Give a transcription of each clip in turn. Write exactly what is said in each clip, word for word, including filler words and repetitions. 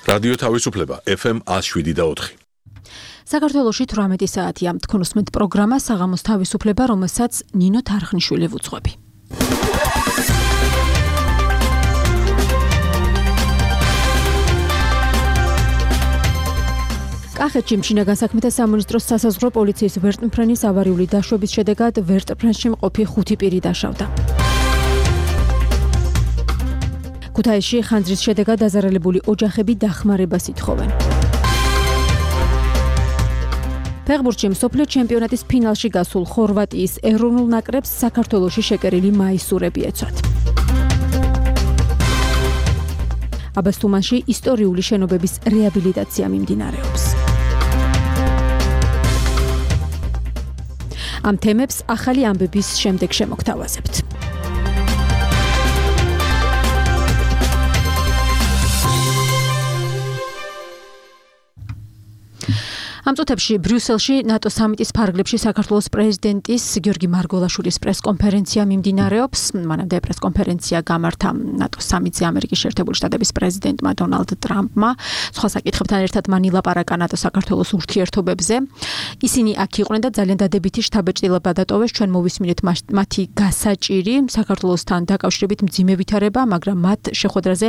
რადიო თავისუფლება ეფ ემ ათს შვიდი და ოთხი. საქართველოში თვრამეტი საათია. თქვენ უსმენთ პროგრამა საღამოს თავისუფლება, რომელსაც ნინო თარხნიშვილი ვუძღვები. კახეთში მშინაგან საქმეთა სამინისტროს სასაზღვრო პოლიციის ვერტმფრენის ავარიული დაშვების შედეგად ვერტმფრენში მყოფი ხუთი პირი დაშავდა. ქუთაისში ხანძრის შედეგად დაზარალებული ოჯახები დახმარებას ითხოვენ. ფეხბურთში მსოფლიო ჩემპიონატის ფინალში გასულ ხორვატიის ეროვნულ ნაკრებს საქართველოში შეკერილი მაისურები ეცვათ. აბასთუმანში ისტორიული შენობების რეაბილიტაცია მიმდინარეობს. ამ თემებს ახალი ამბების შემდეგ შემოგთავაზებთ. ამ წუთებში ბრიუსელში ნატო სამიტის ფარგლებში საქართველოს პრეზიდენტის გიორგი მარგველაშვილის პრესკონფერენცია მიმდინარეობს. მანამდე პრესკონფერენცია გამართა ნატო სამიტზე ამერიკის შეერთებული შტატების პრეზიდენტმა დონალდ ტრამპმა. სხვა საკითხებთან ერთად მან ილაპარაკა ნატო საქართველოს ურთიერთობებზე. ისინი აქ იყვნენ და ძალიან დადებითი შთაბეჭდილება დატოვეს. ჩვენ მოვისმინეთ მათი გასაჭირი საქართველოსთან დაკავშირებით მძიმე ვითარება, მაგრამ მათ შეხვედრაზე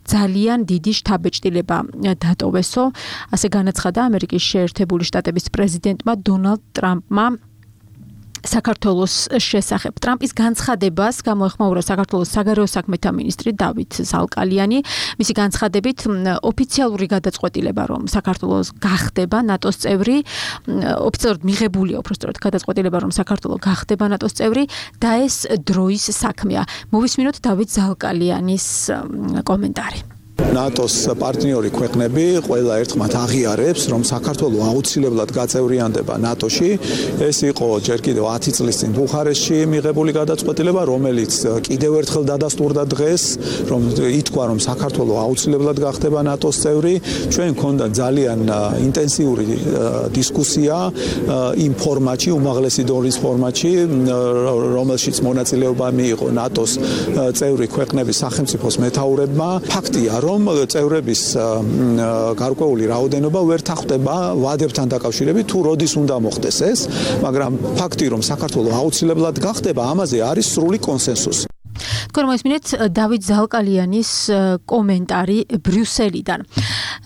ძალიან დიდი შთაბეჭდილება დატოვესო. ასე განაცხადა ამერიკის შეერთებული შტატების პრეზიდენტმა დონალდ ტრამპმა საქართველოს შესახებ. ტრამპის განცხადებას გამოეხმაურა საქართველოს საგარეო საქმეთა მინისტრი დავით ზალკალიანი. მისი განცხადებით ოფიციალური გადაწყვეტილება, რომ საქართველოს გახდება ნატოს წევრი, ოფიციალურად მიღებულია უბრალოდ გადაწყვეტილება, რომ საქართველოს გახდება ნატოს წევრი და ეს დროის საქმეა. მოვისმინოთ დავით ზალკალიანის კომენტარი. ნატოს პარტნიორი ქვეყნები ყველა ერთხმად აღიარებს, რომ საქართველო აუცილებლად გაწევრიანდება ნატოში. ეს იყო ჯერ კიდევ ათი წლის წინ ბუხარესტში მიღებული გადაწყვეტილება, რომელიც კიდევ ერთხელ დადასტურდა დღეს, რომ ითქვა, რომ საქართველო აუცილებლად გახდება ნატოს წევრი. ჩვენ გქონდა ძალიან ინტენსიური დისკუსია იმ ფორმატში, უმაღლესი დონის ფორმატში, რომელშიც მონაწილეობა მიიღო ნატოს წევრი ქვეყნების სახელმწიფოს მეთაურებმა. ფაქტია, რომ წევრების გარკვეული რაოდენობა ვერ თანხმდება ვადებთან დაკავშირებით, თუ როდის უნდა მოხდეს ეს, მაგრამ ფაქტი, რომ საქართველო აუცილებლად გახდება, ამაზე არის სრული კონსენსუსი. თქვენ მოისმინეთ დავით ზალკალიანის კომენტარი ბრიუსელიდან.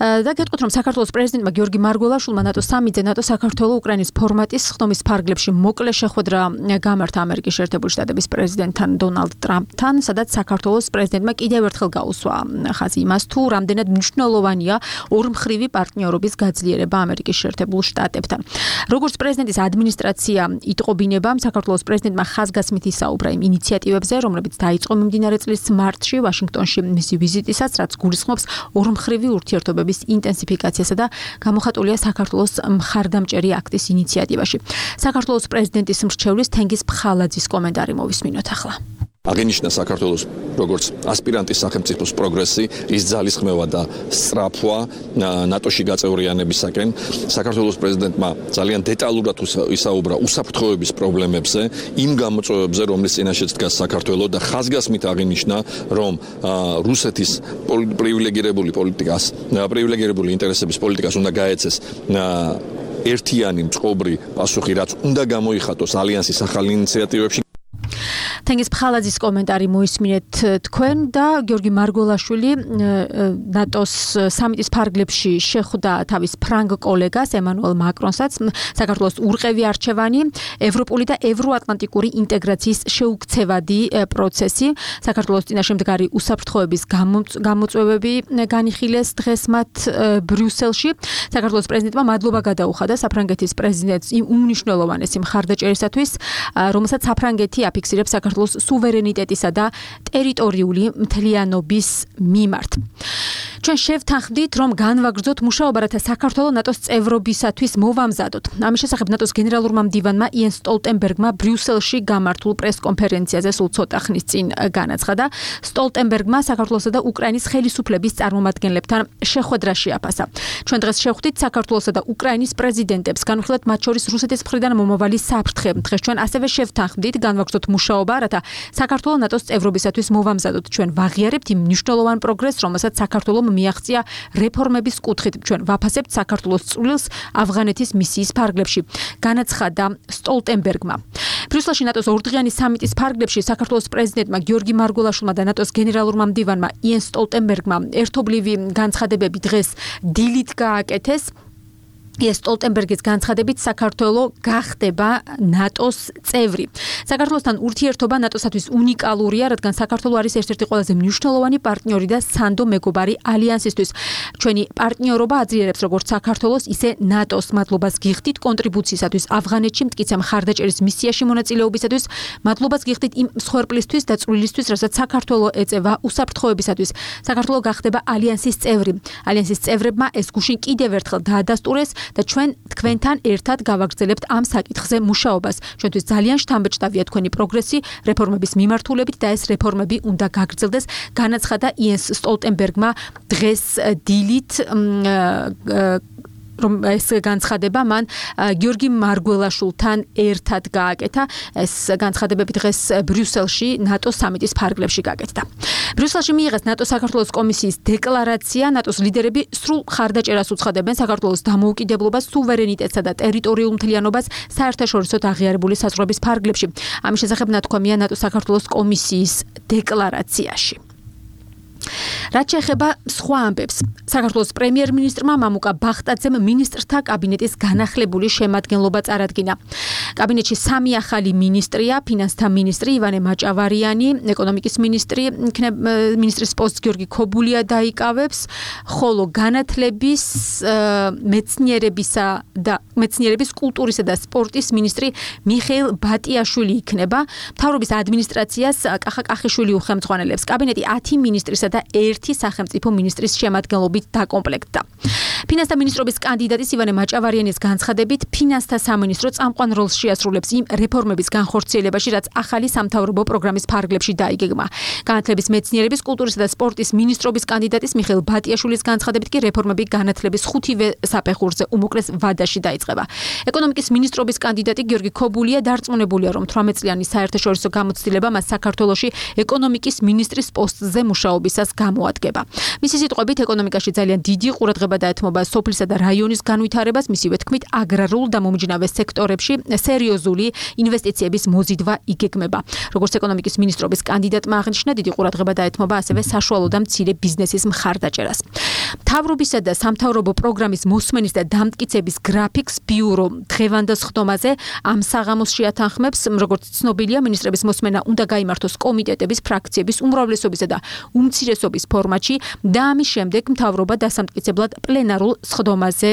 და გეტყვით, რომ საქართველოს პრეზიდენტმა გიორგი მარგველაშვილმა ნატოს სამიტზე ნატო საქართველოს უკრაინის ფორმატის ხდომის ფარგლებში მოკლე შეხვედრა გამართა ამერიკის შეერთებული შტატების პრეზიდენტთან დონალდ ტრამპთან, სადაც საქართველოს პრეზიდენტმა კიდევ ერთხელ გაუსვა ხაზი იმას, თუ რამდენად მნიშვნელოვანია ორმხრივი პარტნიორობის გაძლიერება ამერიკის შეერთებულ შტატებთან. როგორც პრეზიდენტის ადმინისტრაცია იტყობინება, საქართველოს პრეზიდენტმა ხაზგასმით ისაუბრა იმ ინიციატივებზე, რომლებიც დაიწყო მიმდინარე წლის მარტში ვაშინგტონში მისი ვიზიტისას, რაც გულისხმობს ორმხრივი ურთიერთობების ინტენსიფიკაციასა და გამოხატულია საქართველოს მხარდამჭერი აქტის ინიციატივაში. საქართველოს პრეზიდენტის მრჩევლის თენგიზ ფხალაძის კომენტარი მოვისმინოთ ახლა. აღინიშნა საქართველოს როგორც ასპირანტის სახელმწიფოს პროგრესი, ის ძალისხმევა და სწრაფვა ნატოში გაწევრიანებისაკენ. საქართველოს პრეზიდენტმა ძალიან დეტალურად ისაუბრა უსაფრთხოების პრობლემებზე, იმ გამოწვევებზე, რომლის წინაშეც დგას საქართველო და ხაზგასმით აღინიშნა, რომ რუსეთის პრივილეგირებული პოლიტიკას, პრივილეგირებული ინტერესების პოლიტიკას უნდა გაეცეს ერთიანი მწყობრი პასუხი, რაც უნდა გამოიხატოს ალიანსის ახალ ინიციატივებში. თენგიზ ფხალაძის კომენტარი მოისმინეთ თქვენ და გიორგი მარგველაშვილი ნატოს სამიტის ფარგლებში შეხვდა თავის ფრანგ კოლეგას ემანუელ მაკრონსაც. საქართველოს ურყევი არჩევანი, ევროპული და ევროატლანტიკური ინტეგრაციის შეუქცევადი პროცესი, საქართველოს წინაშე მდგარი უსაფრთხოების გამოწვევები განიხილეს დღეს მათ ბრიუსელში. საქართველოს პრეზიდენტმა მადლობა გადაუხადა საფრანგეთის პრეზიდენტს იმ უმნიშვნელოვანესი მხარდაჭერისათვის, რომელსაც საფრანგეთი აფიქსირებს საქართველოს სუვერენიტეტისა და ტერიტორიული მთლიანობის მიმართ. ჩვენ შევთანხმდით, რომ განვაგრძოთ მუშაობა, რათა საქართველოს ნატოს წევრობისათვის მოვამზადოთ. ამის შესახებ ნატოს გენერალურმა მდივანმა იენს სტოლტენბერგმა ბრიუსელში გამართულ პრესკონფერენციაზე სულ ცოტა ხნის წინ განაცხადა. სტოლტენბერგმა საქართველოსა და უკრაინის ხელისუფლების წარმომადგენლებთან შეხვედრა შეაფასა. ჩვენ დღეს შევხვდით საქართველოსა და უკრაინის პრეზიდენტებს, განვიხილეთ მათ შორის რუსეთის მხრიდან მომავალი საფრთხე. დღეს ჩვენ ასევე შევთანხმდით განვაგრძოთ მუშაობა, რათა საქართველოს ნატოს წევრობისათვის მოვამზადოთ. ჩვენ ვაღიარებთ იმ მნიშვნელოვან პროგრესს, რომელსაც საქართველოს მიაღწია რეფორმების კუთხით. ჩვენ ვაფასებთ საქართველოს წვლილს ავღანეთის მისიის ფარგლებში. განაცხადა სტოლტენბერგმა. ბრიუსელში ნატოს ორდღიანი სამიტის ფარგლებში საქართველოს პრეზიდენტმა გიორგი მარგველაშვილმა და ნატოს გენერალურმა მდივანმა იენს სტოლტენბერგმა ერთობლივი განცხადებები დღეს დილით გააკეთეს. ეს სტოლტენბერგის განცხადებით საქართველო გახდება ნატოს წევრი. საქართველოსთან ურთიერთობა ნატოსათვის უნიკალურია, რადგან საქართველო არის ერთ-ერთი ყველაზე მნიშვნელოვანი პარტნიორი და სანდო მეგობარი ალიანსისთვის. ჩვენი პარტნიორობა აძლიერებს როგორც საქართველოს, ისე ნატოს მადლობას გიხდით კონტრიბუციისათვის ავღანეთში მტკიცე მხარდაჭერის მისიაში მონაწილეობისათვის, მადლობას გიხდით იმ მსხვერპლისთვის და წვლილისთვის, რასაც საქართველო ეწევა უსაფრთხოებისათვის. საქართველო გახდება ალიანსის წევრი. ალიანსის წევრებმა ეს გუშინ კიდევ ერთხელ დაადასტურეს და ჩვენ თქვენთან ერთად გავაგრძელებთ ამ საკითხზე მუშაობას. ჩვენთვის ძალიან შთამბეჭდავია თქვენი პროგრესი რეფორმების მიმართულებით და ეს რეფორმები უნდა გაგრძელდეს, განაცხადა იენს სტოლტენბერგმა დღეს დილით რომ ეს განცხადება მან გიორგი მარგველაშვილთან ერთად გააკეთა. ეს განცხადებები დღეს ბრიუსელში ნატოს სამიტის ფარგლებში გააკეთა. ბრიუსელში მიიღეს ნატო-საქართველოს კომისიის დეკლარაცია. ნატოს ლიდერები სრულ მხარდაჭერას უცხადებენ საქართველოს დამოუკიდებლობას, სუვერენიტეტსა და ტერიტორიულ მთლიანობას საერთაშორისოდ აღიარებული საზღვრების ფარგლებში. ამის შესახებ ნათქვამია ნატო-საქართველოს კომისიის დეკლარაციაში. რაც შეეხება სხვა ამბებს, საქართველოს პრემიერ-მინისტრმა მამუკა ბახტაძემ მინისტრთა კაბინეტის განახლებული შემადგენლობა წარადგინა. კაბინეტში სამი ახალი მინისტრია, ფინანსთა მინისტრი ივანე მაჭავარიანი, ეკონომიკის მინისტრი, მინისტრის პოსტს გიორგი ქობულია დაიკავებს, ხოლო განათლების, მეცნიერებისა და მეცნიერების, კულტურისა და სპორტის მინისტრი მიხეილ ბატიაშვილი იქნება. მთავრობის ადმინისტრაციას კახა კახიშვილი უხელმძღვანელებს. კაბინეტი ათი მინისტრისა და ერთი სახელმწიფო მინისტრის შემადგენლობით დაკომპლექტდა. ფინანსთა მინისტრობის კანდიდატის ივანე მაჭავარიანის განცხადებით, ფინანსთა სამინისტრო წამყვან როლს შეასრულებს იმ რეფორმების განხორციელებაში, რაც ახალი სამთავრობო პროგრამის ფარგლებში დაიგეგმა. განათლების, მეცნიერების, კულტურისა და სპორტის მინისტრობის კანდიდატის მიხეილ ბატიაშვილის განცხადებით კი რეფორმები განათლების ხუთივე საფეხურზე უმოკლეს ვადაში დაიწყება. ეკონომიკის მინისტრობის კანდიდატი გიორგი ქობულია დარწმუნებულია, რომ თვრამეტ წლიანი საერთაშორისო გამოცდილება მას საქართველოში ეკონომიკის მინისტრის პოსტზე მუშაობისას გამოადგება. მისი სიტყვებით, ეკონომიკაში ძალიან დიდი ყურადღება დაეთმობა სოფლისა და რაიონის განვითარებას, მისივე თქმით, აგრარულ და მომჯნავე სექტორებში სერიოზული ინვესტიციების მოზიდვა იგეგმება. როგორც ეკონომიკის მინისტრობის კანდიდატმა აღნიშნა, დიდი ყურადღება დაეთმობა ასევე საშუალო და მცირე ბიზნესის მხარდაჭერას. მთავრობისა და სამთავრობო პროგრამის მოსმენის და დამტკიცების გრაფიკს ბიურო დღევანდელ სხდომაზე ამ საღამოს შეათანხმებს. როგორც ცნობილია, მინისტრების მოსმენა უნდა გაიმართოს კომიტეტების, ფრაქციების უმრავლესობისა და უმცირესობის ფორმატში და ამის შემდეგ მთავრობა დასამტკიცებლად პლენარულ სხდომაზე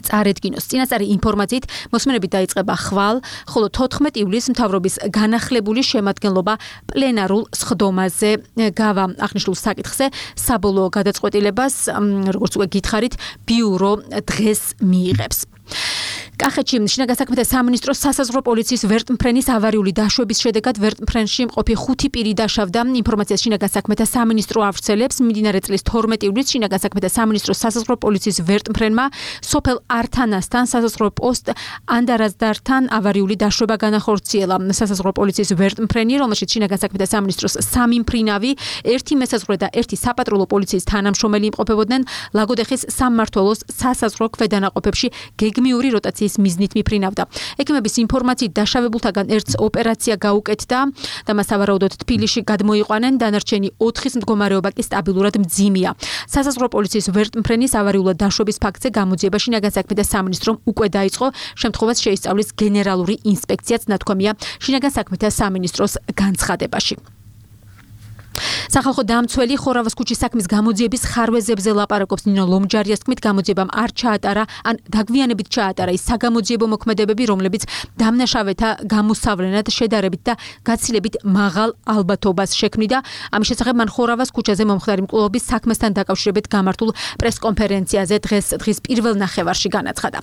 წარედგინოს. წინასწარი ინფორმაციით მოსმენები დაიწყება ხვალ, ხოლო თოთხმეტ ივლისს მთავრობის განახლებული შემადგენლობა პლენარულ სხდომაზე გავა. აღნიშნულ საკითხზე საბოლოო გადაწყვეტილებას, როგორც უკვე გითხარით, ბიურო დღეს მიიღებს. კახეთში შინაგან საქმეთა სამინისტროს სასაზღვრო პოლიციის ვერტმფრენის ავარიული დაშვების შედეგად ვერტმფრენში მყოფი ხუთი პირი დაშავდა. ინფორმაციას შინაგან საქმეთა სამინისტრო ავრცელებს. მიმდინარე წლის თორმეტ ივლისს შინაგან საქმეთა სამინისტროს სასაზღვრო პოლიციის ვერტმფრენმა სოფელ ართანასთან სასაზღვრო პოსტ ანდარაზდართან ავარიული დაშვება განახორციელა. სასაზღვრო პოლიციის ვერტმფრენი, რომელშიც შინაგან საქმეთა სამინისტროს სამი მფრინავი, ერთი მესაზღვრო და ერთი საპატრულო პოლიციის თანამშრომელი იმყოფებოდნენ, ლაგოდეხის სამმართველოს სასაზღვრო ქვედანაყოფებში გეგმიური როტაციის მიზნით მიფრინავდა. ექიმების ინფორმაციით დაშავებულთაგან ერთს ოპერაცია გაუკეთდა და მას სავარაუდოდ თბილისში გადმოიყვანენ, დანარჩენი ოთხის მდგომარეობა კი სტაბილურად მძიმეა. სასაზღვრო პოლიციის ვერტმფრენის ავარიულად დაშვების ფაქტზე გამოძიება შინაგან საქმეთა სამინისტრომ უკვე დაიწყო. შემთხვევას შეისწავლის გენერალური ინსპექციაც, ნათქვამია შინაგან საქმეთა სამინისტროს განცხადებაში. სახალხო დამცველი ხორავას ქუჩის საქმის გამოძიების ხარვეზებზე ლაპარაკობს ნინო ლომჯარიას თქმით, გამოძიებამ არ ჩაატარა ან დაგვიანებით ჩაატარა ის საგამოძიებო მოქმედებები, რომლებიც დამნაშავეთა გამოსავლენად შედარებით და გაცილებით მაღალ ალბათობას შექმნიდა. ამის შესახებ მან ხორავას ქუჩაზე მომხდარი მკვლელობის საქმესთან დაკავშირებით გამართულ პრესკონფერენციაზე დღეს დღის პირველ ნახევარში განაცხადა.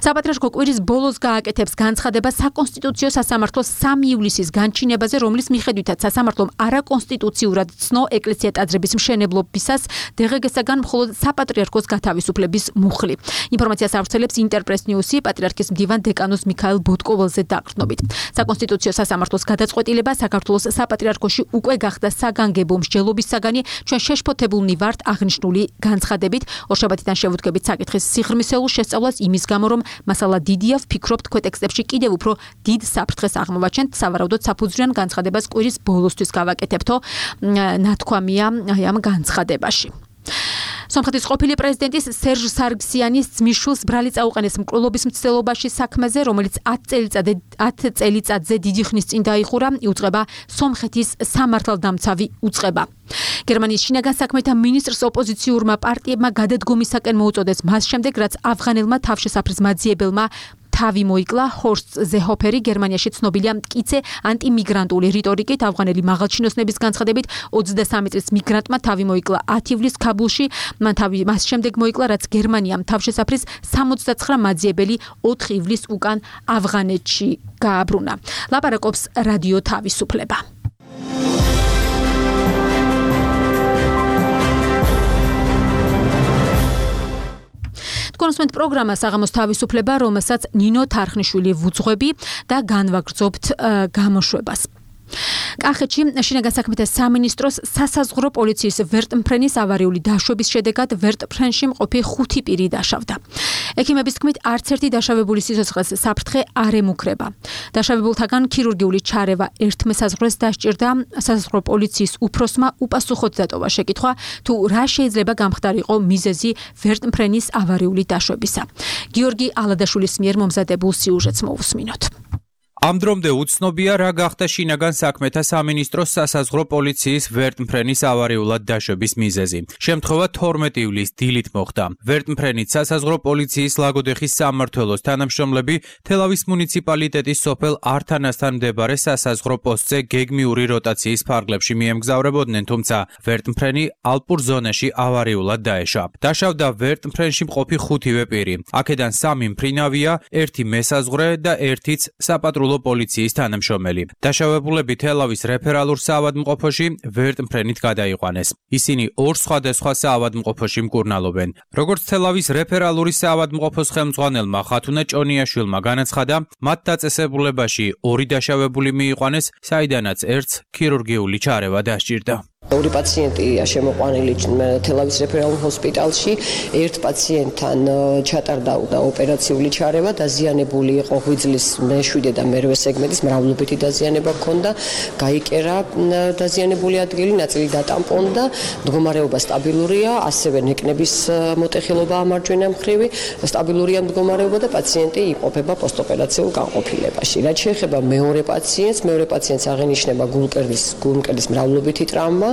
საპატრიარქო კვირის ბოლოს გააკეთებს განცხადება საკონსტიტუციო სასამართლოს სამი ივლისის განჩინებაზე, რომლის მიხედვითაც სასამართლომ არაკონსტიტუციურად ცნო ეკლესია ტაძრების მშენებლობისას დღეგესაგან მხოლოდ საპატრიარქოს გათავისუფლების მუხლი. ინფორმაციას ავრცელებს ინტერპრეს ნიუსი პატრიარქის მდივან დეკანოს მიქაელ ბოტკოველზე დაყრდნობით. საკონსტიტუციო სასამართლოს გადაწყვეტილება საქართველოს საპატრიარქოში უკვე გახდა საგანგებო მსჯელობის საგანი, ჩვენ შეშფოთებულნი ვართ აღნიშნული განცხადებით. ორშაბათიდან შევუდგებით საკითხის სიღრმისეულ შესწავლას იმის გამო, რომ მასალა დიდია, ვფიქრობთ, თქვენ ტექსტებში კიდევ უფრო დიდ საფრთხეს აღმოვაჩენთ, სავარაუდოდ საფუძვლიან განცხადებას კვირის ბოლოსთვის გავაკეთებთო, ნათქვამია აი ამ განცხადებაში. სომხეთის ყოფილი პრეზიდენტის სერჟ სარგსიანის ძმისშვილს ბრალი წაუყენეს მკვლელობის მცდელობაში საქმეზე, რომელიც ათი წელიწადზე დიდი ხნის წინ დაიხურა, იუწყება სომხეთის სამართალდამცავი უწყება. გერმანიის შინაგან საქმეთა მინისტრს ოპოზიციურმა პარტიებმა გადადგომისაკენ მოუწოდეს მას შემდეგ, რაც ავღანელმა თავშესაფრის მაძიებელმა თავი მოიკლა. ჰორსტ ზეჰოფერი გერმანიაში ცნობილია მტკიცე ანტიმიგრანტული რიტორიკით. ავღანელი მაღალჩინოსნების განცხადებით ოცდასამი წლის მიგრანტმა თავი მოიკლა ათი ივლისს ქაბულში. მან თავი მას შემდეგ მოიკლა, რაც გერმანიამ თავშესაფრის სამოცდაცხრა მაძიებელი ოთხი ივლისს უკან ავღანეთში გააბრუნა. ლაპარაკობს რადიო თავისუფლება. კონსუმენტ პროგრამა საღამოს თავისუფლება, რომელსაც ნინო თარხნიშვილი ვუძღვები და განვაგრძობთ გამოშვებას. კახეთში შინაგან საქმეთა სამინისტროს სასაზღვრო პოლიციის ვერტმფრენის ავარიული დაშვების შედეგად ვერტმფრენში მყოფი ხუთი პირი დაშავდა. ექიმების თქმით, არც ერთი დაშავებული სიცოცხლეს საფრთხე არ ემუქრება. დაშავებულთაგან ქირურგიული ჩარევა ერთ მესაზღვრეს დასჭირდა. სასაზღვრო პოლიციის უფროსმა უპასუხოდ დატოვა შეკითხვა, თუ რა შეიძლება გამხდარიყო მიზეზი ვერტმფრენის ავარიული დაშვებისა. გიორგი ალადაშვილის მიერ მომზადებულ სიუჟეტს მოვუსმინოთ. ამ დრომდე უცნობია, რა გახდა შინაგან საქმეთა სამინისტროს სასაზღვრო პოლიციის ვერტმფრენის ავარიულად დაშვების მიზეზი. შემთხვევა თორმეტი ივლისს დილით მოხდა. ვერტმფრენით სასაზღვრო პოლიციის ლაგოდეხის სამმართველოს თანამშრომლები თელავის მუნიციპალიტეტის სოფელ ართანასთან მდებარე სასაზღვრო პოსტზე გეგმიური როტაციის ფარგლებში მიემგზავრებოდნენ, თუმცა ვერტმფრენი ალპურ ზონაში ავარიულად დაეშვა. დაშავდა ვერტმფრენში მყოფი ხუთივე პირი. აქედან სამი მფრინავია, ერთი მესაზღვრე და ერთიც საპატრულო პოლიციის თანამშრომელი. დაშავებულები თელავის რეფერალურ საავადმყოფოში ვერტმფრენით გადაიყვანეს. ისინი ორ სხვადასხვა საავადმყოფოში მკურნალობენ. როგორც თელავის რეფერალური საავადმყოფოს ხელმძღვანელმა ხათუნა ჭონიაშვილმა განაცხადა, მათ დაწესებულებაში ორი დაშავებული მიიყვანეს, საიდანაც ერთს ქირურგიული ჩარევა დასჭირდა. ორი პაციენტია შემოყვანილი თელავის რეფერალურ ჰოსპიტალში. ერთ პაციენტთან ჩატარდა ოპერაციული ჩარევა, დაზიანებული იყო ღვიძლის მეშვიდე და მერვე სეგმენტის მრავლობითი დაზიანება ჰქონდა, გაიკერა დაზიანებული ადგილი, ნაწილი დატამპონდა, მდგომარეობა სტაბილურია, ასევე ნეკნების მოტეხილობა ამარჯვენა მხრივი, სტაბილურია მდგომარეობა და პაციენტი იმყოფება პოსტოპერაციულ განყოფილებაში. რაც შეეხება მეორე პაციენტს, მეორე პაციენტს აღენიშნება გულმკერდის გულმკერდის მრავლობითი ტრავმა,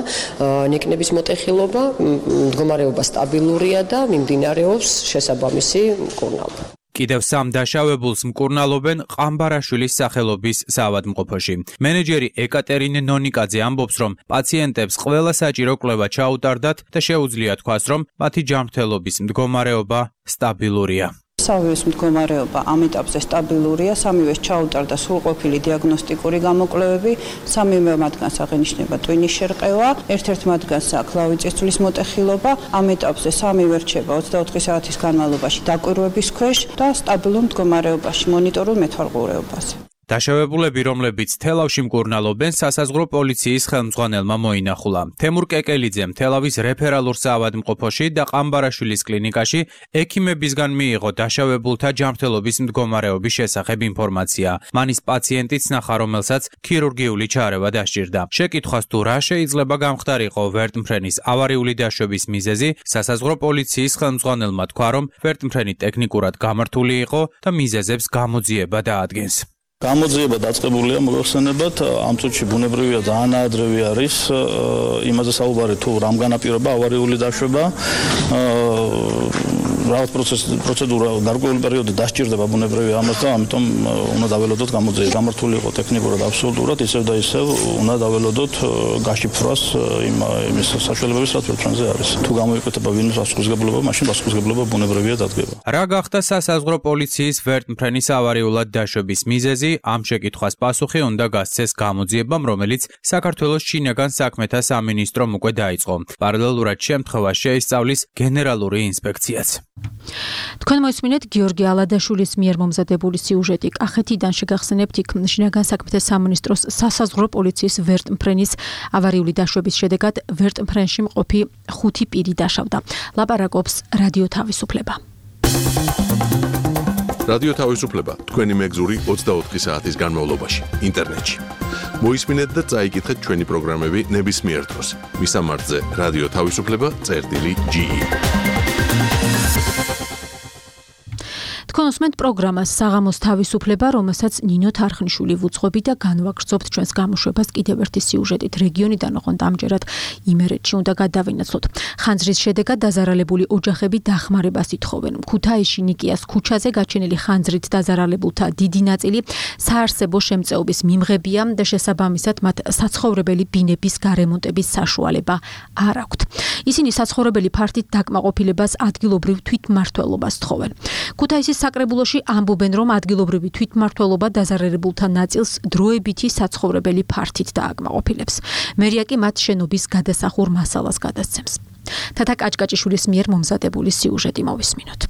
ნეკნების მოტეხილობა, მდგომარეობა სტაბილურია და მიმდინარეობს შესაბამისი მკურნალობა. კიდევ სამ დაშავებულს მკურნალობენ ყამბარაშვილის სახელობის საავადმყოფოში. მენეჯერი ეკატერინე ნონიკაძე ამბობს, რომ პაციენტებს ყველა საჭირო კვლევა ჩაუტარდათ და შეუძლია თქვას, რომ მათი ჯანმრთელობის მდგომარეობა სტაბილურია. სამივეს მდგომარეობა ამ ეტაპზე სტაბილურია, სამივეს ჩაუტარდა სრულყოფილი დიაგნოსტიკური გამოკვლევები, სამივე მათგანს აღენიშნება ტვინის შერყევა, ერთ-ერთ მათგანს აქვს ლავიწისძვლის მოტეხილობა, ამ ეტაპზე სამივე რჩება ოცდაოთხი საათის განმავლობაში დაკვირვების ქვეშ და სტაბილურ მდგომარეობაში მონიტორულ მეთვალყურეობაზე. დაშავებულები, რომლებიც თელავში მკურნალობენ, სასაზღვრო პოლიციის ხელმძღვანელმა მოინახულა. თემურ კეკელიძემ თელავის რეფერალურ საავადმყოფოში და ყამბარაშვილის კლინიკაში ექიმებისგან მიიღო დაშავებულთა ჯანმრთელობის მდგომარეობის შესახებ ინფორმაცია. მანის პაციენტიც ნახა, რომელსაც ქირურგიული ჩარევა დასჭირდა. შეკითხვას თუ რა შეიძლება გამხდარიყო ვერტმფრენის ავარიული დაშვების მიზეზი, სასაზღვრო პოლიციის ხელმძღვანელმა თქვა, რომ ვერტმფრენი ტექნიკურად გამართული იყო და მიზეზებს გამოძიება დაადგენს. გამოძიება დაწყებულია, მოგახსენებათ, ამ წუთში ბუნებრივია ძალიან ადრევი არის, იმაზე საუბარი თუ რამ განაპირობა ავარიული დაშვება. მრავალ პროცედურა გარკვეული პერიოდი დასჭირდება ბუნებრივი ამას და ამიტომ უნდა დაველოდოთ გამოძიება. გამართული იყო ტექნიკურად აბსოლუტურად ისევ და ისევ უნდა დაველოდოთ გაშიფრვას იმ იმის საშუალებების რაც ვერტმფრენზე არის. თუ გამოიკვეთა ვინმე პასუხისგებლობა, მაშინ პასუხისგებლობა ბუნებრივია დადგება. რა გახდა სასაზღვრო პოლიციის ვერტმფრენის ავარიულად დაშვების მიზეზი? ამ შეკითხვას პასუხი უნდა გასცეს გამოძიებამ, რომელიც საქართველოს შინაგან საქმეთა სამინისტრომ უკვე დაიწყო. პარალელურად შემთხვევას შეისწავლის გენერალური ინსპექციაც. თქვენ მოისმინეთ გიორგი ალადაშვილის მიერ მომზადებული სიუჟეტი. კახეთიდან შეგახსენებთ იქ შინაგან საქმეთა სამინისტროს სასაზღვრო პოლიციის ვერტმფრენის ავარიული დაშვების შედეგად ვერტმფრენში მყოფი ხუთი პირი დაშავდა. ლაპარაკობს რადიო თავისუფლება. რადიო თავისუფლება თქვენი მეგზური ოცდაოთხი საათის განმავლობაში ინტერნეტში. მოისმინეთ და წაიკითხეთ ჩვენი პროგრამები ნებისმიერ დროს. მისამართზე რადიო თავისუფლება წერტილი ჯი ი. თქვენ უსმენთ პროგრამას საღამოს თავისუფლება, რომელსაც ნინო თარხნიშვილი ვუძღვები და განვაგრძობთ ჩვენს გამოშვებას კიდევ ერთი სიუჟეტით. რეგიონიდან ოღონდ ამჯერად იმერეთში უნდა გადავინაცვლოთ. ხანძრის შედეგად დაზარალებული ოჯახები დახმარებას ითხოვენ. ქუთაისში ნიკიას ქუჩაზე გაჩენილი ხანძრით დაზარალებულთა დიდი ნაწილი საარსებო შემწეობის მიმღებია და შესაბამისად მათ საცხოვრებელი ბინების გარემონტების საშუალება არ აქვთ. ისინი საცხოვრებელი ფართით დაკმაყოფილებას ადგილობრივ თვითმმართველობას თხოვენ. ქუთაისის საკრებულოში ამბობენ, რომ ადგილობრივი თვითმმართველობა დაზარალებულთა ნაწილს დროებითი საცხოვრებელი ფართით დააკმაყოფილებს. მერია კი მათ შენობის გადასახურ მასალას გადასცემს. თათა კაჭკაჭიშვილის მიერ მომზადებული სიუჟეტი მოვისმინოთ.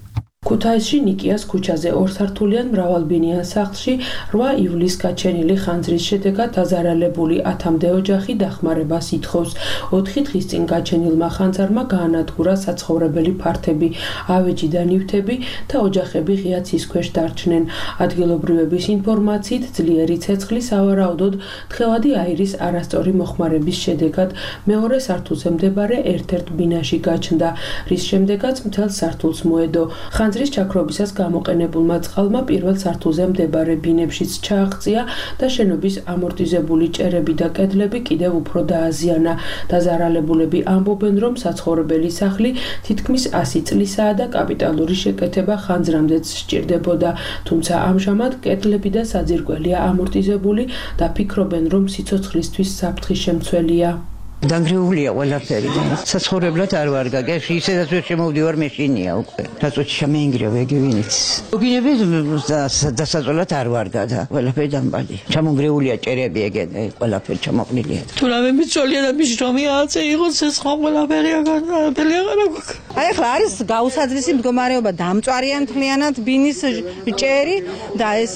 ქუთაისში ნიკიას ქუჩაზე ორსართულიან მრავალბინიან სახლში რვა ივლისს გაჩენილი ხანძრის შედეგად დაზარალებული ათამდე ოჯახი დახმარებას ითხოვს. ოთხი დღის წინ გაჩენილმა ხანძარმა გაანადგურა საცხოვრებელი ფართები, ავეჯი და ნივთები და ოჯახები ღია ცის ქვეშ დარჩნენ. ადგილობრივების ინფორმაციით ძლიერი ცეცხლი სავარაუდოდ თხევადი აირის არასწორი მოხმარების შედეგად მეორე სართულზე მდებარე ერთ-ერთ ბინაში გაჩნდა, რის შემდეგაც მთელ სართულს მოედო. ხანძრის ჩაქრობისას გამოყენებულმა წყალმა პირველ სართულზე მდებარე ბინებშიც ჩააღწია და შენობის ამორტიზებული ჭერები და კედლები კიდევ უფრო დააზიანა. დაზარალებულები ამბობენ, რომ საცხოვრებელი სახლი თითქმის ასი წლისაა და კაპიტალური შეკეთება ხანძრამდეც სჭირდებოდა, თუმცა ამჟამად კედლები და საძირკველია ამორტიზებული და ფიქრობენ, რომ სიცოცხლისთვის საფრთხის შემცველია. დანგრეულია ყველაფერი და საცხოვრებლად არ ვარ გაგეში, ისედაც ვერ შემოვდივარ მეშინია უკვე. რაწოჩი შემეინგრია ვეგივინიც. გინები დასაწოლად არ ვარ გადა, ყველაფერი დამბალი. ჩამონგრეულია ჭერები ეგედა, ყველაფერი ჩამოყნილია. თუ რამე მიცოლია და მის რომი აწე იყოს ეს ხომ ყველაფერი აღარ აღარ აქვს. აი ახლა არის გაუსაძრისი მდგომარეობა, დამწვარიან მთლიანად ბინის ჭერი და ეს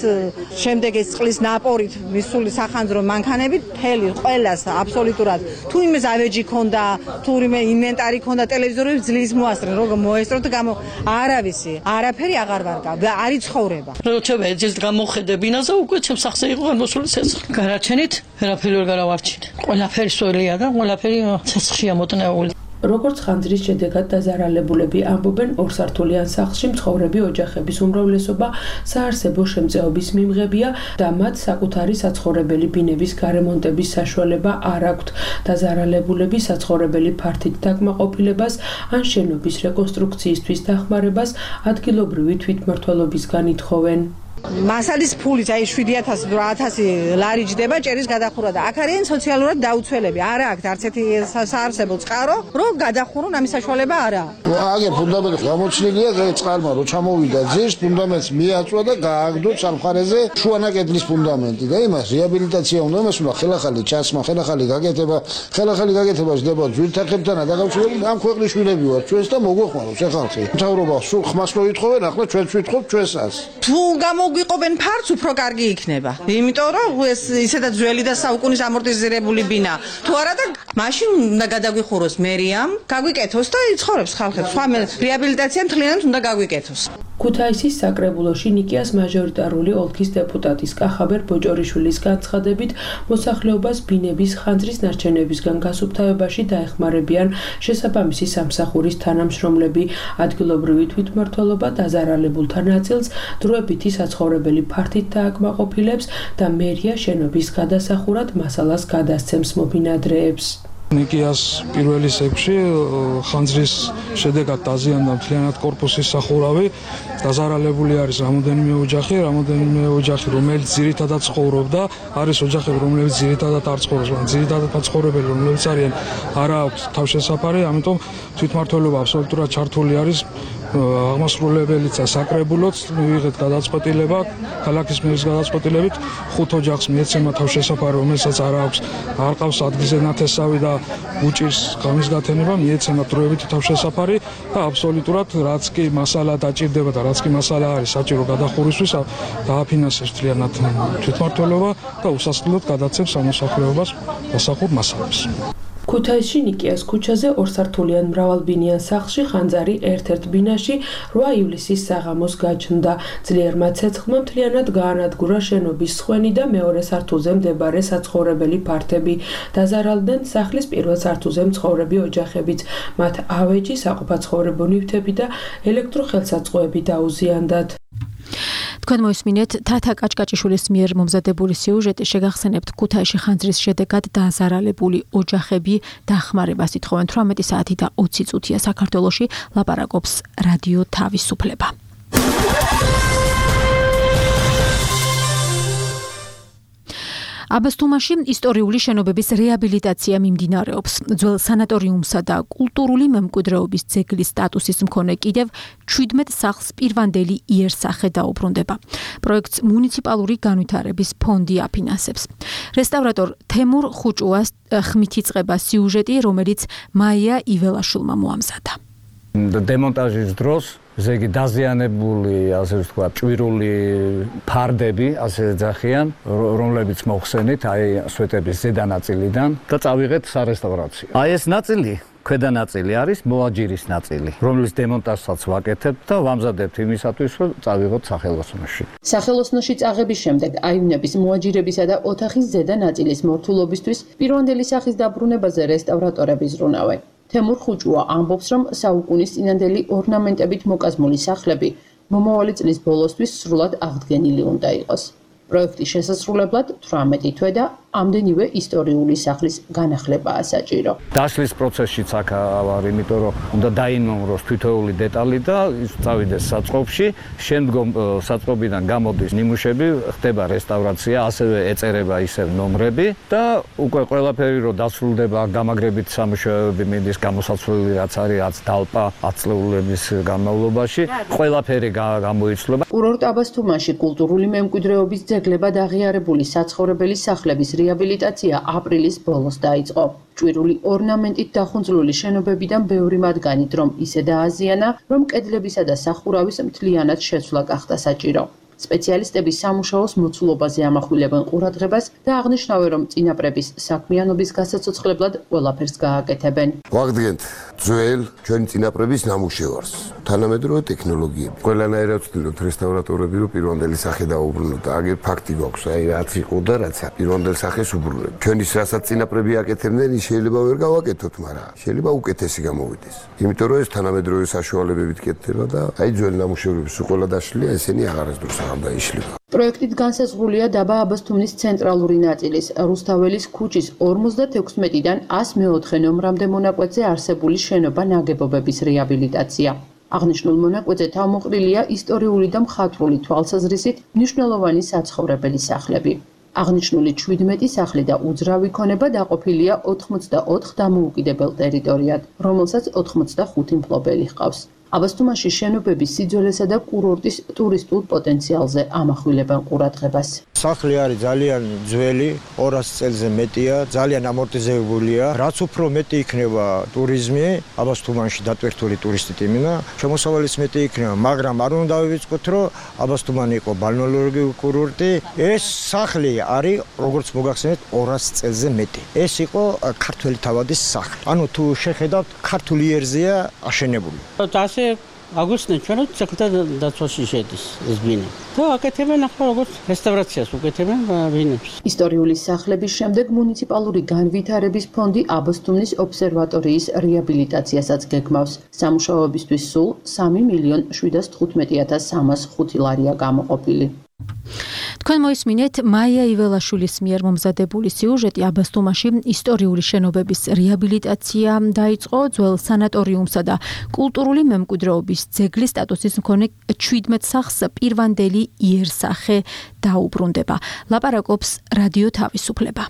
შემდეგ ეს წყლის ნაპორით მისული სახანძრო მანქანები მთელი ყველას აბსოლუტურად თუ იმეს ავეჯი ქონდა, თუ რიმე ინვენტარი ქონდა, ტელევიზორები ძლივს მოასწრენ, როგორ მოესწროთ გამო არავისი, არაფერი აღარ ვარგა, არ იცხოვრება. როცა ეძილს გამოხედე ბინაზე უკვე ჩემს სახზე იყო გამოსული ცეცხლი. გარაჩენით, ვერაფერი ვერ გარავარჩინე. ყველაფერი სველია და ყველაფერი ცეცხლია მოტნეული. როგორც ხანძრის შედეგად დაზარალებულები ამბობენ, ორსართულიან სახლში მცხოვრები ოჯახების უმრავლესობა საარსებო შემწეობის მიმღებია და მათ საკუთარი საცხოვრებელი ბინების გარემონტების საშუალება არ აქვთ. დაზარალებულები საცხოვრებელი ფართით დაკმაყოფილებას ან შენობის რეკონსტრუქციისთვის დახმარებას ადგილობრივი თვითმმართველობისგან ითხოვენ. მასალის ფულით აი შვიდი ათასი ათასი ლარი ჯდება ჭერის გადახურვა და აქ არიან სოციალურად დაუცველები. არა აქვს არც ერთი საარსებო წყარო, რომ გადახურონ ამის საშუალება არა. აგერ ფუნდამენტი გამოჩნილია ეს წყალმა რო ჩამოვიდა ძირს, ფუნდამენტს მიაწვა და გააგდო სამხარეზე შუანაკედლის ფუნდამენტი და იმას რეაბილიტაცია უნდა, იმას უნდა ხელახალი ჩასმა, ხელახალი გაკეთება, ხელახალი გაკეთება ხდება ძვირთახებთანა დაკავშირებით. ამ ქვეყნის შვილები ვართ ჩვენს და მოგვეხმაროს ეხალხი. მთავრობა სულ ხმას რო ითხოვენ, ახლა ჩვენც ვითხოვთ ჩვენსაც. თუ გამო გვიყოფენ ფარც უფრო კარგი იქნება. იმიტომ რომ ეს ისედაც ძველი და საუკუნის ამორტიზირებული ბინა. თუ არა და მაშინ უნდა გადაგვიხუროს მერიამ, გაგვიკეთოს და იცხოვრებს ხალხებს. სხვა რეაბილიტაცია მთლიანად უნდა გაგვიკეთოს. ქუთაისის საკრებულოში ნიკიას მაჟორიტარული ოლქის დეპუტატის კახაბერ ბოჭორიშვილის განცხადებით, მოსახლეობას ბინების ხანძრის ნარჩენებისგან გასუფთავებაში დაეხმარებიან შესაბამისი სამსახურის თანამშრომლები. ადგილობრივი თვითმმართველობა დაზარალებულთა ნაწილს დროებითი საცხოვრებელი ფართით დააკმაყოფილებს და მერია შენობის გადასახურად მასალას გადასცემს მობინადრეებს. ნიკიას პირველი სექში ხანძრის შედეგად დაზიანდა მთლიანად კორპუსის სახურავი, დაზარალებული არის რამოდენიმე ოჯახი, რამოდენიმე ოჯახი, რომელიც ძირითადად ცხოვრობდა, არის ოჯახები, რომლებიც ძირითადად არ ცხოვრობს, მაგრამ ძირითადად მაცხოვრებელი, რომლებიც არიან, არა აქვს თავშესაფარი, ამიტომ თვითმმართველობა აბსოლუტურად ჩართული არის აღმასრულებელიც და საკრებულოც მივიღეთ გადაწყვეტილება ქალაქის მერის გადაწყვეტილებით ხუთ ოჯახს მიეცემა თავშესაფარი, რომელსაც არ აქვს, არ ყავს ადგილზე ნათესავი და უჭირს ღამის გათენება, მიეცემა დროებითი თავშესაფარი და აბსოლუტურად რაც კი მასალა დაჭირდება და რაც კი მასალა არის საჭირო გადახურვისთვის, დააფინანსებს მთლიანად თვითმმართველობა და უსასყიდლოდ გადაცემს სამოსახლეობას დასახურ მასალებს. ქუთაისში ნიკიას ქუჩაზე ორსართულიან მრავალბინიან სახლში ხანძარი ერთ-ერთ ბინაში რვა ივლისის საღამოს გაჩნდა. ძლიერმა ცეცხლმა მთლიანად გაანადგურა შენობის სხვენი და მეორე სართულზე მდებარე საცხოვრებელი ფართები. დაზარალდნენ სახლის პირველ სართულზე მცხოვრები ოჯახებიც. მათ ავეჯი, საყოფაცხოვრებო ნივთები და ელექტროხელსაწყოები დაუზიანდათ. თქვენ მოისმინეთ თათა კაჭკაჭიშვილის მიერ მომზადებული სიუჟეტი, შეგახსენებთ ქუთაისში ხანძრის შედეგად დაზარალებული ოჯახები დახმარებას ითხოვენ. თვრამეტი საათი და ოცი წუთია საქართველოში, ლაპარაკობს რადიო თავისუფლება. აბასთუმანში ისტორიული შენობების რეაბილიტაცია მიმდინარეობს. ძველ სანატორიუმსა და კულტურული მემკვიდრეობის ძეგლის სტატუსის მქონე კიდევ ჩვიდმეტ სახლს პირვანდელი იერსახე დაუბრუნდება. პროექტს მუნიციპალური განვითარების ფონდი აფინანსებს. რესტავრატორ თემურ ხუჭუას ხმით იწყება სიუჟეტი, რომელიც მაია იველაშვილმა მოამზადა. დემონტაჟის დროს ზეგი დაზიანებული, ასე ვთქვათ, ჭვირული ფარდები, ასე ეძახიან, რომლებიც მოხსენით, აი სვეტების ზედა ნაწილიდან და წავიღეთ სარესტავრაციო. აი ეს ნაწილი, ქვედა ნაწილი არის მოაჯირის ნაწილი, რომლის დემონტაჟსაც ვაკეთებთ და ვამზადებთ იმისათვის, რომ წავიღოთ სახელოსნოში. სახელოსნოში წაღების შემდეგ აივნების, მოაჯირებისა და ოთახის ზედა ნაწილის მორთულობისთვის პირვანდელი სახის დაბრუნებაზე რესტავრატორები ზრუნავენ. თემურ ხუჭუა ამბობს, რომ საუკუნის წინანდელი ორნამენტებით მოკაზმული სახლები მომავალი წლის ბოლოსთვის სრულად აღდგენილი უნდა იყოს. პროექტის შესასრულებლად თვრამეტი თვე და ამდენივე ისტორიული სახლის განახლებაა საჭირო. დაშლის პროცესშიც აქ ვარ, იმიტომ რომ უნდა დაინომროს თითოეული დეტალი და წავიდეს საწყობში, შემდგომ საწყობიდან გამოდის ნიმუშები, ხდება რესტავრაცია, ასევე ეწერება ისევ ნომრები და უკვე ყველაფერი რომ დასრულდება, გამაგრებით სამუშაოები მიდის, გამოსაცვლელი რაც არის, რაც დალპა ათწლეულების განმავლობაში, ყველაფერი გამოიცვლება. კურორტ აბასთუმანში კულტურული მემკვიდრეობის ძეგლებად აღიარებული საცხოვრებელი სახლების რეაბილიტაცია აპრილის ბოლოს დაიწყო. ჭვირული ორნამენტით დახუნძლული შენობებიდან ბევრი მათგანი რომ ისე დააზიანა, რომ კედლებისა და სახურავის მთლიანად შეცვლა გახდა საჭირო. სპეციალისტები სამუშაოს მოცულობაზე ამახვილებენ ყურადღებას და აღნიშნავენ, რომ წინაპრების საქმიანობის გასაცოცხლებლად ყველაფერს გააკეთებენ. ვაღდგენთ ძველ ჩვენი წინაპრების ნამუშევარს, თანამედროვე ტექნოლოგიები. ყველანაირად ვცდილობთ რესტავრატორები, რომ პირვანდელი სახე დაუბრუნოთ. აგერ ფაქტი გვაქვს, აი რაც იყო და რაც პირვანდელ სახეს უბრუნებთ. ჩვენი რასაც წინაპრები აკეთებდნენ, ის შეიძლება ვერ გავაკეთოთ, მაგრამ შეიძლება უკეთესი გამოვიდეს. იმიტომ რომ ეს თანამედროვე საშუალებებით კეთდება და აი ძველი ნამუშევრების ყველა დაშლია, ესენი აღარასდროს პროექტით განსაზღვრულია დაბა აბასთუმნის ცენტრალური ნაწილის, რუსთაველის ქუჩის ორმოცდათექვსმეტიდან ას მეოთხე ნომრამდე მონაკვეთზე არსებული შენობა ნაგებობების რეაბილიტაცია. აღნიშნულ მონაკვეთზე თავმოყრილია ისტორიული და მხატვრული თვალსაზრისით მნიშვნელოვანი საცხოვრებელი სახლები. აღნიშნული ჩვიდმეტი სახლი და უძრავი ქონება დაყოფილია ოთხმოცდაოთხ დამოუკიდებელ ტერიტორიად, რომელსაც ოთხმოცდახუთი მფლობელი ჰყავს. აბასთუმანში შენობების სიძველესა და კურორტის ტურისტულ პოტენციალზე ამახვილებენ ყურადღებას. სახლი არის ძალიან ძველი, ორასი წელზე მეტია, ძალიან ამორტიზებულია. რაც უფრო მეტი იქნება ტურიზმი, აბასთუმანში დატვირთული ტურისტით იმინა, შემოსავალიც მეტი იქნება, მაგრამ არ უნდა დავივიწყოთ, რომ აბასთუმანი იყო ბალნეოლოგიური კურორტი. ეს სახლი არის, როგორც მოგახსენეთ, ორასი წელზე მეტი. ეს იყო ქართველი თავადის სახლი. ანუ თუ შეხედავთ, ქართული იერზეა აშენებული. აგვიხსნეთ ჩვენ რომ საკუთარ დაცვაში შედის ეს ბინა. და აკეთებენ ახლა როგორც რესტავრაციას უკეთებენ ბინებს. ისტორიული სახლების შემდეგ მუნიციპალური განვითარების ფონდი აბასთუმნის ობსერვატორიის რეაბილიტაციასაც გეგმავს. სამუშაოებისთვის სულ სამი მილიონ შვიდას თხუთმეტი ათას სამას ხუთი ლარია გამოყოფილი. თქვენ მოისმინეთ მაია იველაშვილის მიერ მომზადებული სიუჟეტი აბასთუმაში ისტორიული შენობების რეაბილიტაცია დაიწყო, ძველ სანატორიუმსა და კულტურული მემკვიდრეობის ძეგლის სტატუსის მქონე შვიდმეტ სახლს პირვანდელი იერსახე დაუბრუნდება. ლაპარაკობს რადიო თავისუფლება.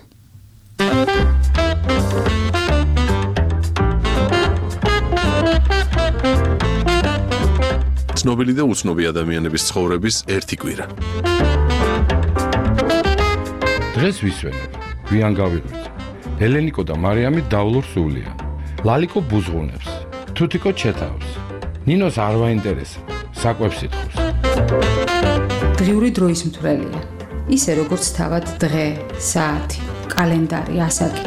ცნობილი და უცნობი ადამიანების ცხოვრების ერთი კვირა. დღეს ვისვენებ, გვიან გავიღვიძე. ელენიკო და მარიამი დავლურ სულიან. ლალიკო ბუზღუნებს, თუთიკო ჩეთავს. ნინოს არ ვაინტერესებს, საკვებს ითხოვს. დღიური დროის მთვრელია. ისე როგორც თავად დღე, საათი, კალენდარი, ასაკი.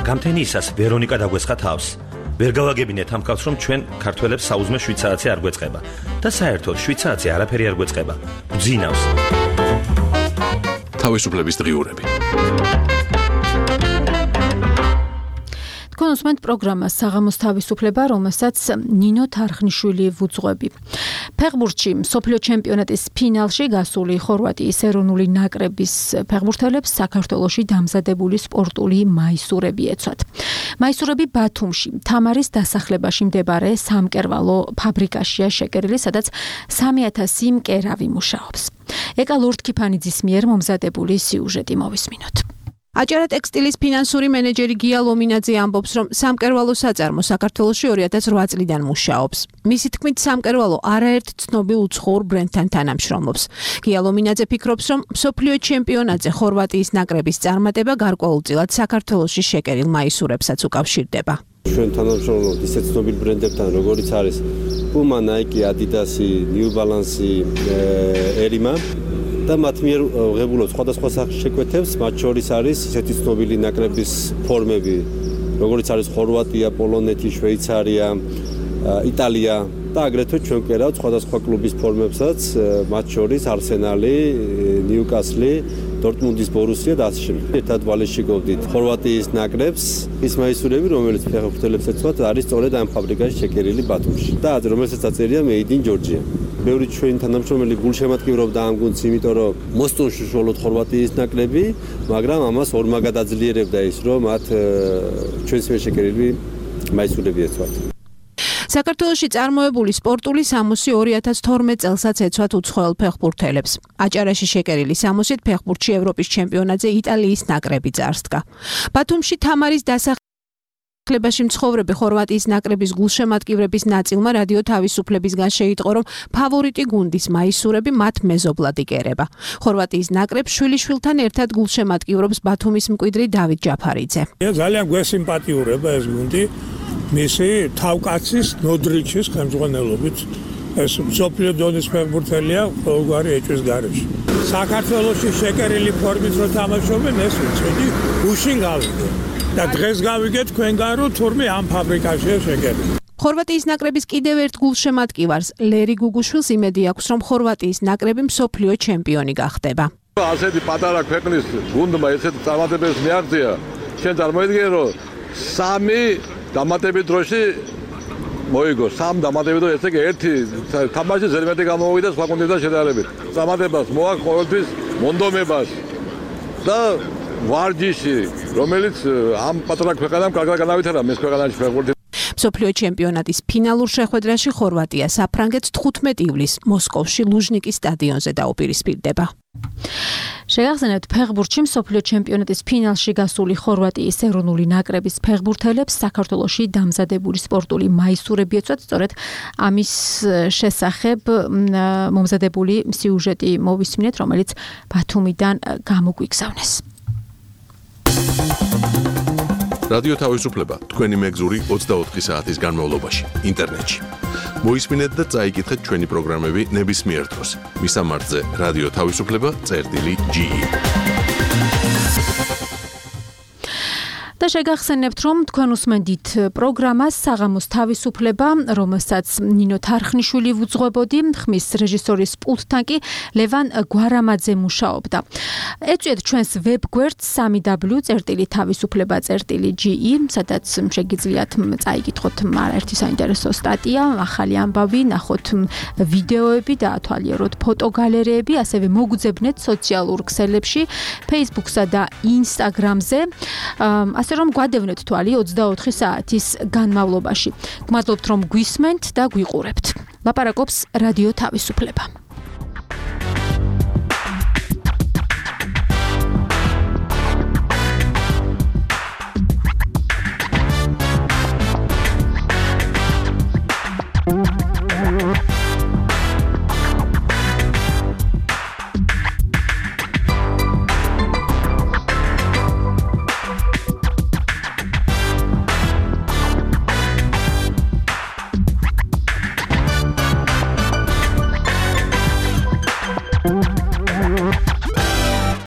გამთენიისას ვერონიკა დაგვესხა თავს. ვერ გავაგებინეთ ამ კაცს, რომ ჩვენ ქართველებს საუზმე შვიდ საათზე არ გვეწყება და საერთოდ შვიდ საათზე არაფერი არ გვეწყება. გძინავს. თავისუფლების დღიურები. თქვენ უსმენთ პროგრამას საღამოს თავისუფლება, რომელსაც ნინო თარხნიშვილი ვუძღვები. ფეხბურთში მსოფლიო ჩემპიონატის ფინალში გასული ხორვატიის ეროვნული ნაკრების ფეხბურთელებს საქართველოში დამზადებული სპორტული მაისურები ეცვათ. მაისურები ბათუმში, თამარის დასახლებაში მდებარე სამკერვალო ფაბრიკაშია შეკერილი, სადაც სამი ათასი მკერავი მუშაობს. ეკა ლორდ-კიფანიძის მიერ მომზადებული სიუჟეტი მოვისმინოთ. აჭარა ტექსტილის ფინანსური მენეჯერი გია ლომინაძე ამბობს, რომ სამკერვალო საწარმო საქართველოში ორი ათას ოთხ წლიდან მუშაობს. მისი თქმით, სამკერვალო არაერთ ცნობილ უცხოურ ბრენდთან თანამშრომლობს. გია ლომინაძე ფიქრობს, რომ მსოფლიო ჩემპიონატზე ხორვატიის ნაკრების წარმატება გარკვეულწილად საქართველოში შეკერილ მაისურებსაც უკავშირდება. ჩვენ თანამშრომლობთ ისეთ ცნობილ ბრენდებთან, როგორიც არის Puma, Nike, Adidas, New Balance, Erima. და მათ მიერ ღებულობ სხვადასხვა შეკვეთებს, მათ შორის არის ისეთი ცნობილი ნაკრების ფორმები, როგორიც არის ხორვატია, პოლონეთი, შვეიცარია, იტალია და აგრეთვე ჩვენ კერავთ სხვადასხვა კლუბის ფორმებსაც, მათ შორის არსენალი, ნიუკასლი, დორტმუნდის ბორუსია და ასე შემდეგ. ერთად ვალიშიკოვდით ხორვატიის ნაკრებს, ის მაისურები, რომელიც ფეხბურთელებს ეცვათ, არის სწორედ ამ ფაბრიკაში შეკერილი ბათუმში. და რომელსაც აწერია Made in Georgia. ბევრი ჩვენი თანამშრომელი გულშემატკივრობდა ამ გუნდს, იმიტომ რომ მოსწონში უშუალოდ ხორვატიის ნაკრები, მაგრამ ამას ორმაგად აძლიერებდა ის, რომ მათ ჩვენს მიერ შეკერილი მაისურები ეცვათ. საქართველოში წარმოებული სპორტული სამოსი ორი ათას თორმეტ წელსაც ეცვათ უცხოელ ფეხბურთელებს. აჭარაში შეკერილი სამოსით ფეხბურთში ევროპის ჩემპიონატზე იტალიის ნაკრები წარსდგა. ბათუმში თამარის დასახლებაში მცხოვრები ხორვატიის ნაკრების გულშემატკივრების ნაწილმა რადიო თავისუფლებისგან შეიტყო, რომ ფავორიტი გუნდის მაისურები მათ მეზობლად იკერება. ხორვატიის ნაკრებს შვილიშვილთან ერთად გულშემატკივრობს ბათუმის მკვიდრი დავით ჯაფარიძე. ძალიან გვესიმპათიურება ეს გუნდი. მისი თავკაცის ნოდრიჩის ხელმძღვანელობით ეს მსოფლიო დონის ფეხბურთელია ყოველგვარი ეჭვის გარეშე. საქართველოში შეკერილი ფორმით რო თამაშობენ, ეს ვიცოდი, გუშინ გავიგე. და დღეს გავიგე თქვენგან, რომ თურმე ამ ფაბრიკაშია შეკერილი. ხორვატიის ნაკრების კიდევ ერთ გულშემატკივარს ლერი გუგუშვილს იმედი აქვს, რომ ხორვატიის ნაკრები მსოფლიო ჩემპიონი გახდება. ასეთი პატარა ქვეყნის გუნდმა ესეთ წარმატებებს მიაღწია, შენ წარმოიდგინე, რომ სამი დამატებით დროში მოიგო, სამ დამატებით დროში, ესე იგი ერთი თამაში ზერმეტი გამოვიდა სხვა გუნდებთან შედარებით. წარმატებას მოაქვს ყოველთვის მონდომებას და ვარჯიში, რომელიც ამ პატარა ქვეყანამ კარგად განავითარა მის ქვეყანაში ფეხბურთი. მსოფლიო ჩემპიონატის ფინალურ შეხვედრაში ხორვატია საფრანგეთს თხუთმეტი ივლისს მოსკოვში ლუჟნიკის სტადიონზე დაუპირისპირდება. შეგახსენებთ, ფეხბურთში მსოფლიო ჩემპიონატის ფინალში გასული ხორვატიის ეროვნული ნაკრების ფეხბურთელებს საქართველოში დამზადებული სპორტული მაისურები ეცვათ, სწორედ ამის შესახებ მომზადებული სიუჟეტი მოვისმინეთ, რომელიც ბათუმიდან გამოგვიგზავნეს. რადიო თავისუფლება თქვენი მეგზური ოცდაოთხი საათის განმავლობაში ინტერნეტში. მოისმინეთ და წაიკითხეთ ჩვენი პროგრამები ნებისმიერ დროს. მისამართზე რადიო თავისუფლება წერტილი ჯი ი. და შეგახსენებთ, რომ თქვენ უსმენთ პროგრამას საღამოს თავისუფლება, რომელსაც ნინო თარხნიშვილი ვუძღვებოდი, ხმის რეჟისორის პულტთან კი ლევან გვარამაძე მუშაობდა. ეწვიეთ ჩვენს ვებგვერდს სამი დაბლიუ წერტილი თავისუფლება წერტილი ჯი ი, სადაც შეგიძლიათ წაიკითხოთ ერთი საინტერესო სტატია, ახალი ამბავი, ნახოთ ვიდეოები და ათვალიეროთ ფოტოგალერეები, ასევე მოგუძებნეთ სოციალურ ქსელებში, Facebook-სა და Instagram-ზე, ასე რომ გვადევნეთ თვალი ოცდაოთხი საათის განმავლობაში. გმადლობთ, რომ გვისმენთ და გვიყურებთ. ლაპარაკობს რადიო თავისუფლება.